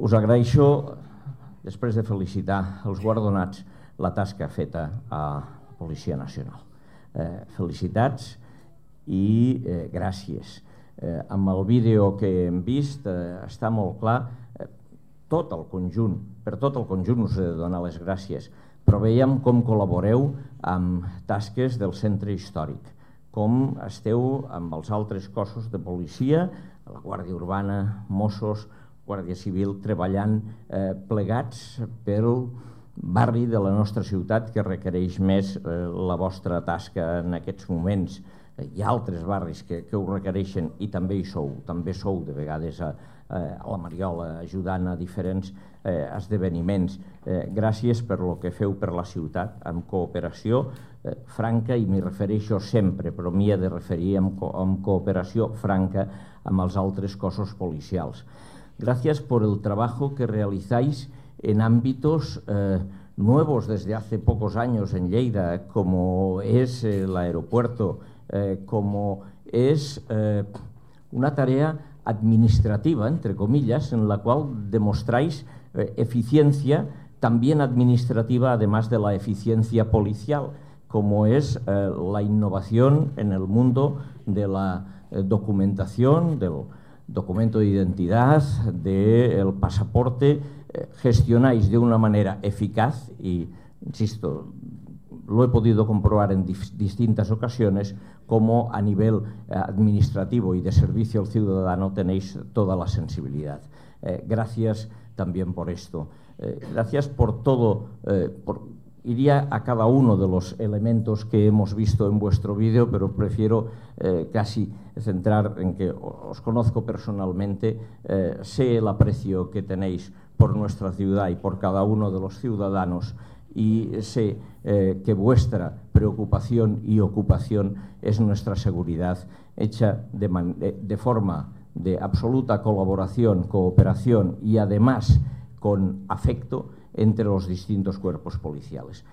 Us agraeixo, després de felicitar els guardonats, la tasca feta a la Policia Nacional. Felicitats i gràcies. Amb el vídeo que hem vist està molt clar tot el conjunt, per tot el conjunt us he de donar les gràcies, però veiem com col·laboreu amb tasques del centre històric, com esteu amb els altres cossos de policia, la Guàrdia Urbana, Mossos, Guàrdia Civil, treballant plegats pel barri de la nostra ciutat que requereix més la vostra tasca en aquests moments. Hi ha altres barris que ho requereixen i també hi sou, també sou de vegades a la Mariola ajudant a diferents esdeveniments. Gràcies per el que feu per la ciutat, amb cooperació franca, i m'hi refereixo sempre, però m'hi he de referir amb cooperació franca amb els altres cossos policials. Gracias por el trabajo que realizáis en ámbitos nuevos desde hace pocos años en Lleida, como es el aeropuerto, como es una tarea administrativa, entre comillas, en la cual demostráis eficiencia también administrativa, además de la eficiencia policial, como es la innovación en el mundo de la documentación, del documento de identidad, del pasaporte. Gestionáis de una manera eficaz y, insisto, lo he podido comprobar en distintas ocasiones, como a nivel administrativo y de servicio al ciudadano tenéis toda la sensibilidad. Gracias también por esto. Gracias por todo. Iría a cada uno de los elementos que hemos visto en vuestro vídeo, pero prefiero casi centrar en que os conozco personalmente, sé el aprecio que tenéis por nuestra ciudad y por cada uno de los ciudadanos, y sé que vuestra preocupación y ocupación es nuestra seguridad, hecha de forma de absoluta colaboración, cooperación y además con afecto entre los distintos cuerpos policiales.